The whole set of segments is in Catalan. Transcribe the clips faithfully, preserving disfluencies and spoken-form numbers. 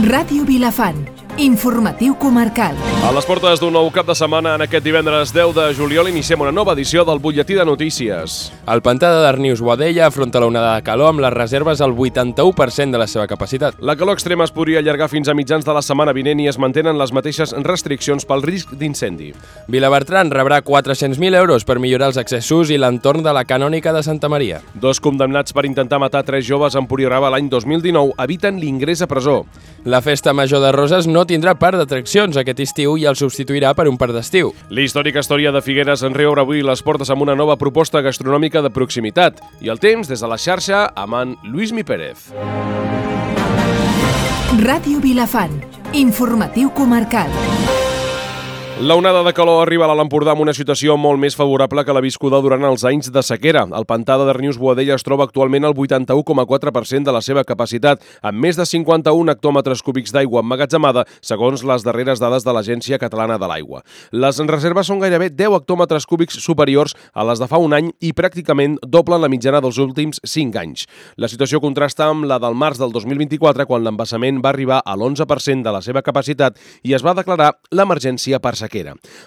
Ràdio Vilafant, informatiu comarcal. A les portes d'un nou cap de setmana, en aquest divendres deu de juliol, iniciem una nova edició del Butlletí de Notícies. El pantà de Darnius Boadella afronta la onada de calor amb les reserves al vuitanta-u per cent de la seva capacitat. La calor extrema es podria allargar fins a mitjans de la setmana vinent i es mantenen les mateixes restriccions pel risc d'incendi. Vilabertran rebrà quatre-cents mil euros per millorar els accessos i l'entorn de la canònica de Santa Maria. Dos condemnats per intentar matar tres joves a Empuriaraba l'any dos mil dinou eviten l'ingrés a presó. La festa major de Roses no tindrà parc d'atraccions aquest estiu i el substituirà per un parc d'estiu. L'històrica història de Figueres en reobre avui les portes amb una nova proposta gastronòmica de proximitat. I el temps, des de la xarxa, amb en Lluís Mi Pérez. Ràdio Vilafant, informatiu comarcal. La onada de calor arriba a l'Alt Empordà amb una situació molt més favorable que la viscuda durant els anys de sequera. El pantà de Darnius Boadella es troba actualment al vuitanta-u coma quatre per cent de la seva capacitat, amb més de cinquanta-un hectòmetres cúbics d'aigua emmagatzemada, segons les darreres dades de l'Agència Catalana de l'Aigua. Les reserves són gairebé deu hectòmetres cúbics superiors a les de fa un any i pràcticament doblen la mitjana dels últims cinc anys. La situació contrasta amb la del març del dos mil vint-i-quatre, quan l'embassament va arribar a l'onze per cent de la seva capacitat i es va declarar l'emergència per sequera.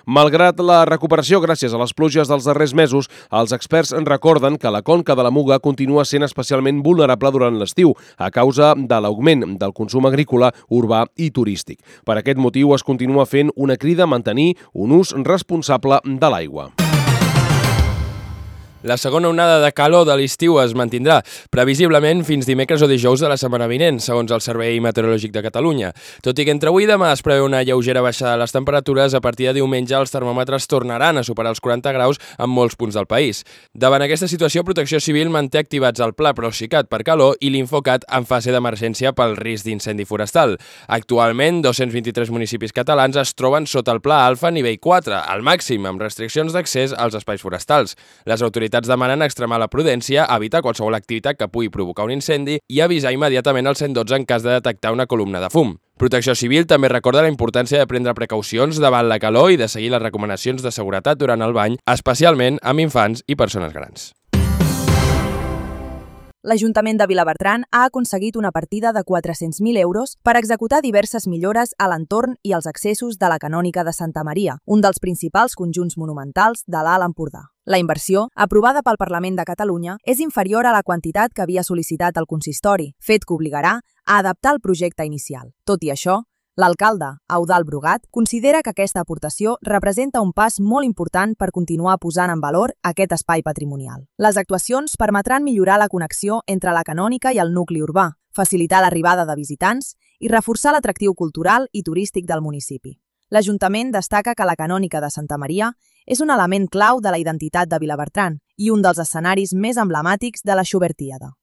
Malgrat la recuperació gràcies a les pluges dels darrers mesos, els experts en recorden que la conca de la Muga continua sent especialment vulnerable durant l'estiu a causa de l'augment del consum agrícola, urbà i turístic. Per aquest motiu es continua fent una crida a mantenir un ús responsable de l'aigua. La segona onada de calor de l'estiu es mantindrà, previsiblement fins dimecres o dijous de la setmana vinent, segons el Servei Meteorològic de Catalunya. Tot i que entre avui i demà es preveu una lleugera baixada de les temperatures, a partir de diumenge els termòmetres tornaran a superar els quaranta graus en molts punts del país. Davant aquesta situació, Protecció Civil manté activats el Pla Procicat per calor i l'Infocat en fase d'emergència pel risc d'incendi forestal. Actualment, dos-cents vint-i-tres municipis catalans es troben sota el Pla Alfa nivell quatre, al màxim, amb restriccions d'accés als espais forestals. Les autoritats demanen extremar la prudència, evitar qualsevol activitat que pugui provocar un incendi i avisar immediatament al cent dotze en cas de detectar una columna de fum. Protecció Civil també recorda la importància de prendre precaucions davant la calor i de seguir les recomanacions de seguretat durant el bany, especialment amb infants i persones grans. L'Ajuntament de Vilabertran ha aconseguit una partida de quatre-cents mil euros per executar diverses millores a l'entorn i als accessos de la canònica de Santa Maria, un dels principals conjunts monumentals de l'Alt Empordà. La inversió, aprovada pel Parlament de Catalunya, és inferior a la quantitat que havia sol·licitat el consistori, fet que obligarà a adaptar el projecte inicial. Tot i això, l'alcalde, Eudald Brugat, considera que aquesta aportació representa un pas molt important per continuar posant en valor aquest espai patrimonial. Les actuacions permetran millorar la connexió entre la canònica i el nucli urbà, facilitar l'arribada de visitants i reforçar l'atractiu cultural i turístic del municipi. L'Ajuntament destaca que la canònica de Santa Maria és un element clau de la identitat de Vilabertran i un dels escenaris més emblemàtics de la Xubertíada.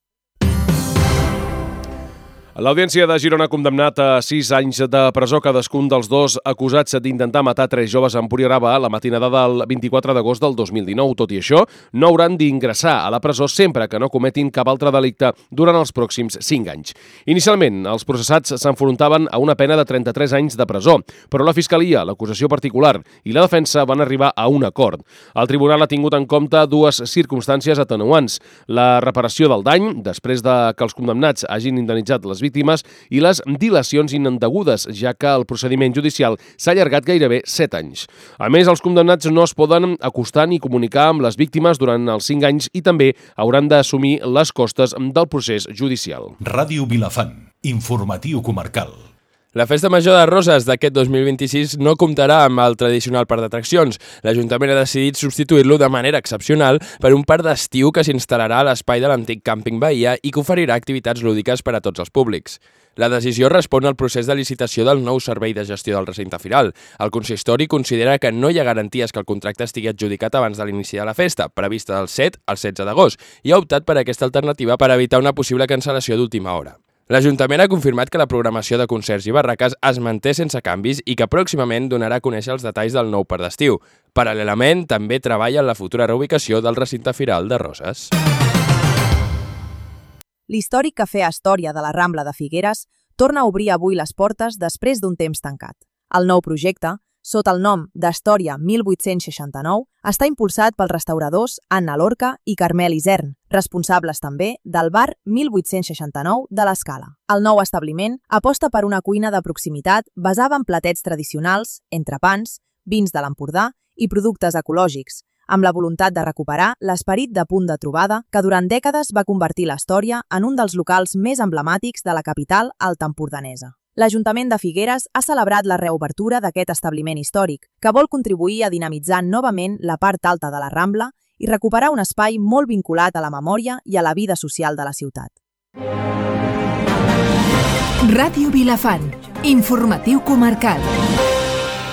L'Audiència de Girona ha condemnat a sis anys de presó cadascun dels dos acusats d'intentar matar tres joves a Empuriaraba la matinada del vint-i-quatre d'agost del dos mil dinou. Tot i això, no hauran d'ingressar a la presó sempre que no cometin cap altre delicte durant els pròxims cinc anys. Inicialment, els processats s'enfrontaven a una pena de trenta-tres anys de presó, però la Fiscalia, l'acusació particular i la defensa van arribar a un acord. El tribunal ha tingut en compte dues circumstàncies atenuants: la reparació del dany, després de que els condemnats hagin indemnitzat les víctimes, i les dilacions indegudes, ja que el procediment judicial s'ha allargat gairebé set anys. A més, els condemnats no es poden acostar ni comunicar amb les víctimes durant els cinc anys i també hauran d'assumir les costes del procés judicial. Ràdio Vilafant, informatiu comarcal. La Festa Major de Roses d'aquest dos mil vint-i-sis no comptarà amb el tradicional parc d'atraccions. L'Ajuntament ha decidit substituir-lo de manera excepcional per un parc d'estiu que s'instal·larà a l'espai de l'antic càmping Bahia i que oferirà activitats lúdiques per a tots els públics. La decisió respon al procés de licitació del nou servei de gestió del recinte firal. El consistori considera que no hi ha garanties que el contracte estigui adjudicat abans de l'inici de la festa, prevista del set al setze d'agost, i ha optat per aquesta alternativa per evitar una possible cancel·lació d'última hora. L'Ajuntament ha confirmat que la programació de concerts i barraques es manté sense canvis i que pròximament donarà a conèixer els detalls del nou parc d'estiu. Paral·lelament, també treballa en la futura reubicació del recinte firal de Roses. L'històric Cafè Astòria de la Rambla de Figueres torna a obrir avui les portes després d'un temps tancat. El nou projecte sota el nom d'Astòria mil vuit-cents seixanta-nou, està impulsat pels restauradors Anna Lorca i Carmel Isern, responsables també del bar mil vuit-cents seixanta-nou de l'Escala. El nou establiment aposta per una cuina de proximitat basada en platets tradicionals, entrepans, vins de l'Empordà i productes ecològics, amb la voluntat de recuperar l'esperit de punt de trobada que durant dècades va convertir l'Astòria en un dels locals més emblemàtics de la capital altaempordanesa. L'Ajuntament de Figueres ha celebrat la reobertura d'aquest establiment històric, que vol contribuir a dinamitzar novament la part alta de la Rambla i recuperar un espai molt vinculat a la memòria i a la vida social de la ciutat. Ràdio Vilafant, informatiu comarcal.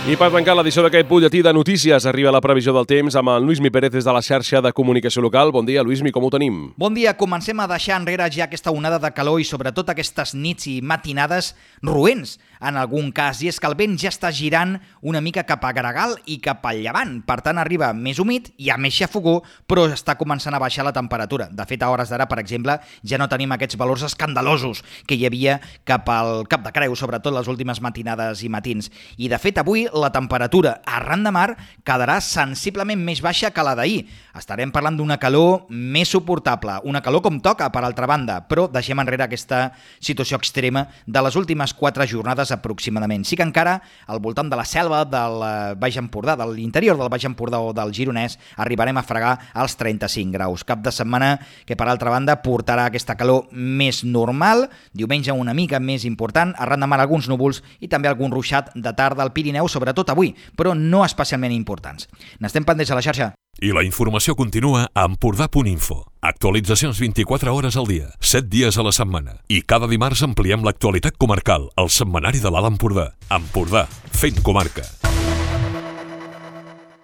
I per tancar l'edició d'aquest butlletí de notícies arriba la previsió del temps amb el Luismi Pérez des de la xarxa de comunicació local. Bon dia, Luismi, com ho tenim? Bon dia, comencem a deixar enrere ja aquesta onada de calor i sobretot aquestes nits i matinades roents en algun cas, i és que el vent ja està girant una mica cap a Gregal i cap al llevant, per tant arriba més humit i a més xafogó, però està començant a baixar la temperatura. De fet, a hores d'ara, per exemple, ja no tenim aquests valors escandalosos que hi havia cap al Cap de Creu, sobretot les últimes matinades i matins. I de fet, avui la temperatura arran de mar quedarà sensiblement més baixa que la d'ahir. Estarem parlant d'una calor més suportable, una calor com toca, per altra banda, però deixem enrere aquesta situació extrema de les últimes quatre jornades aproximadament. Sí que encara al voltant de la selva del Baix Empordà, de l'interior del Baix Empordà o del Gironès, arribarem a fregar als trenta-cinc graus. Cap de setmana que, per altra banda, portarà aquesta calor més normal, diumenge una mica més important, arran de mar alguns núvols i també algun ruixat de tarda al Pirineu, sobretot avui, però no especialment importants. N'estem pendents a la xarxa. I la informació continua a empordà punt info. Actualitzacions vint-i-quatre hores al dia, set dies a la setmana. I cada dimarts ampliem l'actualitat comarcal, al setmanari de l'Alt Empordà. Empordà, fent comarca.